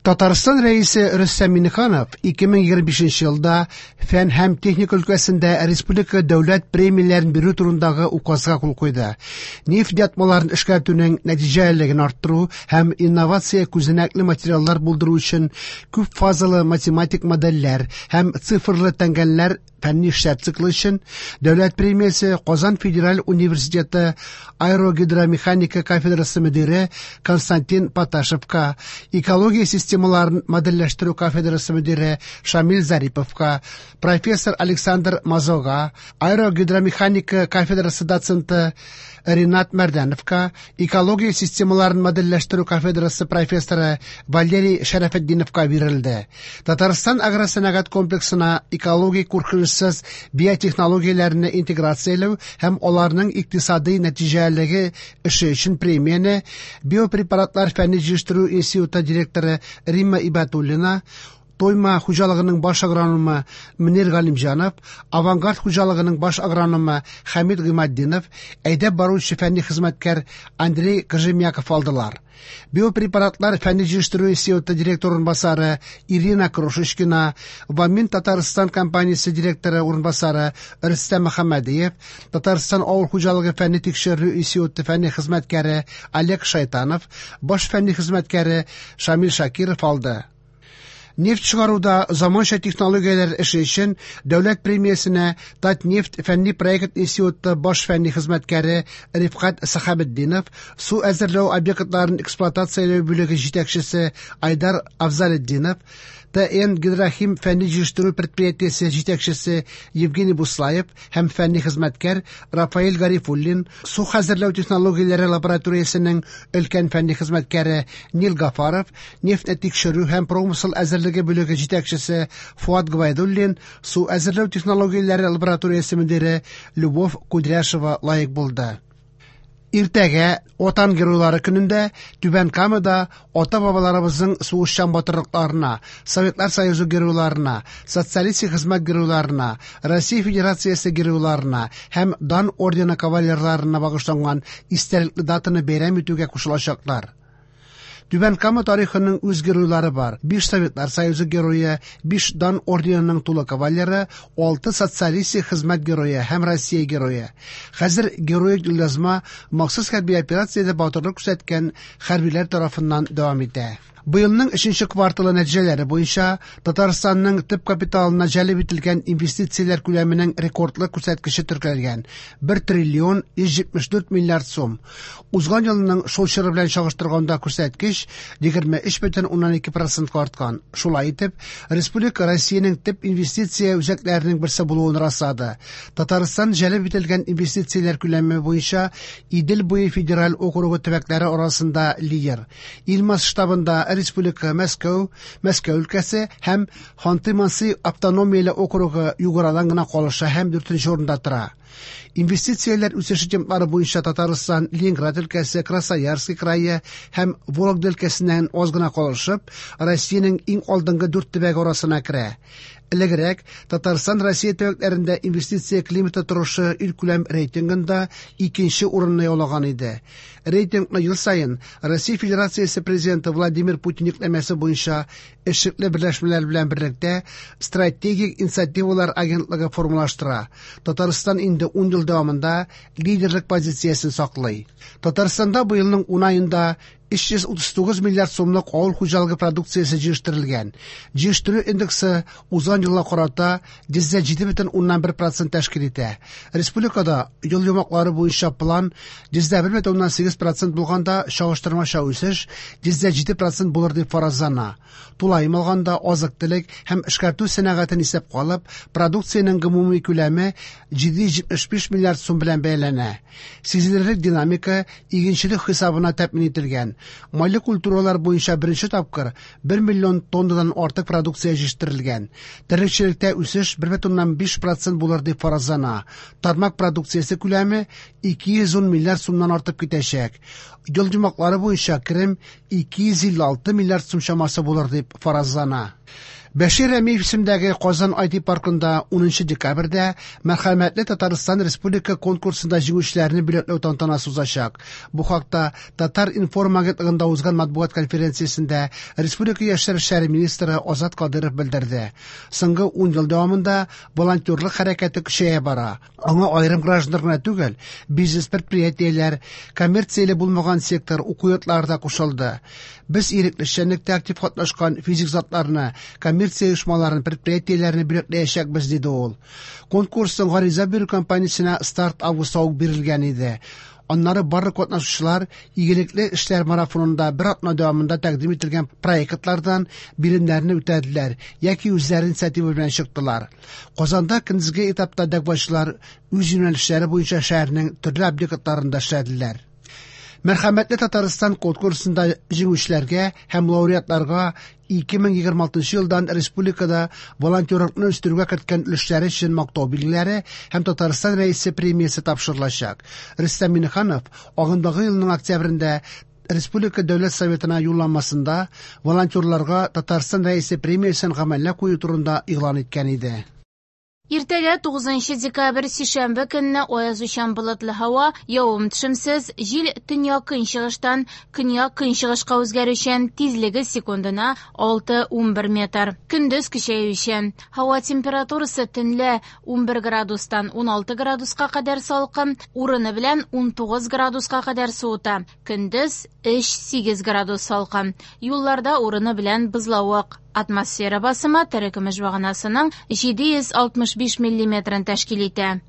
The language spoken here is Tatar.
Татарстан Рәисе Рөстәм Миңнеханов 2025 елда фән һәм техника өлкәсендә республика дәүләт премияләрен бирү турындагы указга кул куйды. Нефть ятмаларын эшкәртүнең нәтиҗәлелеген арттыру һәм инновация күзәнәкле материаллар булдыру өчен күп фазалы математик модельләр һәм цифрлы тәңгәлләр фәнни эшләр циклы өчен дәүләт премиясе Казан федераль университеты аэрогидромеханика кафедрасы мөдире Константин Поташевка, экология системаларын модельләштерү кафедрасы мөдире Шамил Зариповка, профессор Александр Мазога, аэрогидромеханика кафедрасы доценты Ринат Мәрдәновка, экология системаларын модельләштерү кафедрасы профессоры Валерий Шәрәфетдиновка бирелде. Татарстан агросәнәгать комплексына экологик куркынычсыз биотехнологияләрне интеграцияләү һәм аларның икътисадый нәтиҗәлелеге эше өчен премияне биопрепаратлар фәнни җыештыру институты директоры Римма Ибатуллина, Тойма хуҗалыгының баш агрономы Мөнир Галимҗанов, Авангард хуҗалыгының баш агрономы Хәмид Гыйматдинов, әйдәп баручы фәнни хезмәткәр Андрей Кожемяков алдылар. Биопрепаратлар фәнни җыештыру институты директор урынбасары Ирина Крошечкина, Вамин Татарстан компаниясе директоры урынбасары Рөстәм Мөхәммәдиев, Татарстан авыл хуҗалыгы фәнни тикшерү институты фәнни хезмәткәре Олег Шайтанов, баш фәнни хезмәткәре Шамил Шакиров алды. Нефть чыгаруда заманча технологияләр эше өчен дәүләт премиясенә Татнефть фәнни проект институты баш фәнни хезмәткәре Рифкать Сәхәбетдинов, су әзерләү объектларын эксплуатацияләү бүлеге җитәкчесе Айдар Афзалетдинов, ТН Гидрохим фәнни җитештерү предприятиесе җитәкчесе Евгений Буслаев һәм фәнни хезмәткәр Рафаэль Гарифуллин, су хәзерләү технологияләре лабораториясенең өлкән фәнни хезмәткәре Нил Гафаров, нефть тикшерү һәм промысел әзерлеге бүлеге җитәкчесе Фуат Гвайдуллин, су әзерләү технологияләре лабораториясе мөдире Любовь Кудряшева лаек булды. Иртәгә Ватан геройлары көнендә Түбән Камада ата-бабаларыбызның сугышчан батырлыкларына, Советлар Союзы геройларына, социалистик хезмәт геройларына, Россия Федерациясе геройларына һәм Дан ордены кавалерларына багышланган истәлекле датаны бәйрәм итүгә кушылачаклар. Түбән Кама тарихының үз геройлары бар. 5 Советлар Союзы герое, 5 Дан орденының тулы кавалеры, 6 социалистик хезмәт герое һәм Россия герое. Хәзер героик юлъязма махсус хәрби операциядә батырлык күрсәткән хәрбиләр тарафыннан дәвам итә. Быелның 3нче кварталы нәтиҗәләре буенча Татарстанның төп капиталына җәлеп ителгән инвестицияләр күләменең рекордлы күрсәткече теркәлгән: 1 триллион 174 миллиард сум. Узган елның шул чоры белән чагыштырганда күрсәткеч 23,2% арткан. Шулай итеп, республика Россиянең төп инвестиция үзәкләренең берсе булуын раслады. Татарстан җәлеп ителгән инвестицияләр күләме буенча Идел буе федераль округы төбәкләре арасында лидер. Ил масштабында республика Мәскәү, Мәскәү өлкәсе һәм Ханты-Манси автономияле округы Юградан гына калыша һәм 4нче урында тора. Инвестицияләр үсеше темплары буенча Татарстан, Ленинград өлкәсе, Красноярский крае һәм Вологда өлкәсеннән аз гына калышып, Россиянең иң алдынгы 4 төбәге арасына керә. Элегрәк Татарстан Россия төбәкләрендә инвестиция климаты торышы илкүләм рейтингында 2нче урынны яулаган иде. Рейтингны ел саен Россия Федерациясе президенты Владимир Путин йөкләмәсе буенча эшлекле берләшмәләр белән берлектә стратегик инициативалар агентлыгы формалаштыра. Татарстан инде 10 ел дәвамында лидерлык позициясен саклый. Татарстанда быелның 10 аенда 339 миллиард сумлык авыл хуҗалыгы продукциясе җыештырылган. Җыештыру индексы узган елга карата 107,1% тәшкил итә. Республикада ел йомгаклары буенча план 101,8% булганда чагыштырмача үсеш 107% булыр дип фаразлана. Тулаем алганда азык-төлек һәм эшкәртү сәнәгатен исәпкә алып, продукциянең гомуми күләме 775 миллиард сум белән бәяләнә. Сизелерлек динамика игенчелек хисабына тәэмин ителгән. Майлы культуралар буенча беренче тапкыр 1 миллион тоннадан артык продукция җитештерелгән. Терлекчелектә үсеш 1,5% булыр дип фаразлана. Тармак продукциясе күләме 210 миллиард сумнан артып китәчәк. Ел йомгаклары буенча керем 256 миллиард сум чамасы булыр дип фаразлана. Бәшир Рәмиев исемендәге Казан IT паркында 10 декабрьдә Мәрхәмәтле Татарстан республика конкурсында җиңүчеләрне бүләкләү тантанасы узачак. Бу хакта Татар-информ агентлыгында узган матбугат конференциясендә республика яшьләр эшләре министры Азат Кадыров белдерде. Соңгы 10 ел дәвамында волонтерлык хәрәкәте көчәя бара. Аңа аерым гражданнар гына түгел, бизнес-предприятиеләр, коммерцияле булмаган сектор, уку йортлары да кушылды. Без ирекле эшчәнлектә актив катнашкан физик затларны, коммерция оешмаларын, предприятиеләрне бүләкләячәкбез, диде ул. Конкурсның гариза бирү кампаниясенә старт августта ук бирелгән иде. Аннары барлык катнашучылар игелекле эшләр марафонында бер атна дәвамында тәкъдим ителгән проектлардан биремнәрне үтәделәр яки үзләре инициатива белән чыктылар. Казанда көндезге этапта дәгъвачылар үз юнәлешләре буенча шәһәрнең төрле объектларында эшләделәр. Мәрхәмәтле Татарстан конкурсында җиңүчеләргә һәм лауреатларга 2026 елдан республикада волонтерлыкны үстерүгә керткән өлешләре өчен мактау билгеләре һәм Татарстан Рәисе премиясе тапшырылачак. Рөстәм Миңнеханов агымдагы елның октябрендә Республика Дәүләт Советына юлламасында волонтерларга Татарстан Рәисе премиясен гамәлгә кую турында игълан иткән иде. Иртәгә 9 декабрь сишәмбе көнне аязучан болытлы һава, явым-төшемсез, җил төньяк-көнчыгыштан көньяк-көнчыгышка үзгәрүчән, тизлеге секундына 6-11 метр. Көндез көчәючән. Һава температурасы төнлә 11 градустан 16 градуска кадәр салкын, урыны белән 19 градуска кадәр суыта. Көндез 3-8 градус салкын. Юлларда урыны белән бозлавык. Атмосфера басымы терекөмеш баганасының 765 миллиметрын тәшкил итә.